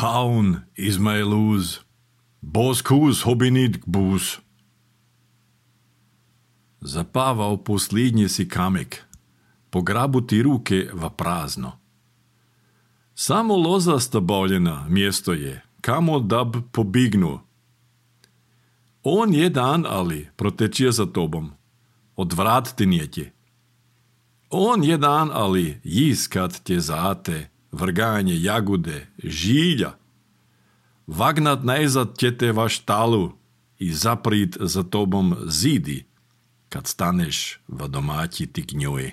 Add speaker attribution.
Speaker 1: Paun Izmaeluz, Boskus hobinit gbus. Zapavao posljednji si kamek, pograbuti ruke va prazno. Samo loza stabavljena mjesto je, kamo dab pobignu. On je dan, ali protečije za tobom, odvrat ti nijetje. On je dan, ali jiskat tje zate, vrganje jagude, žilja. Vagnat najzad ćete vaš talu i zaprit za tobom zidi, kad staneš v domaći ti gnjoj.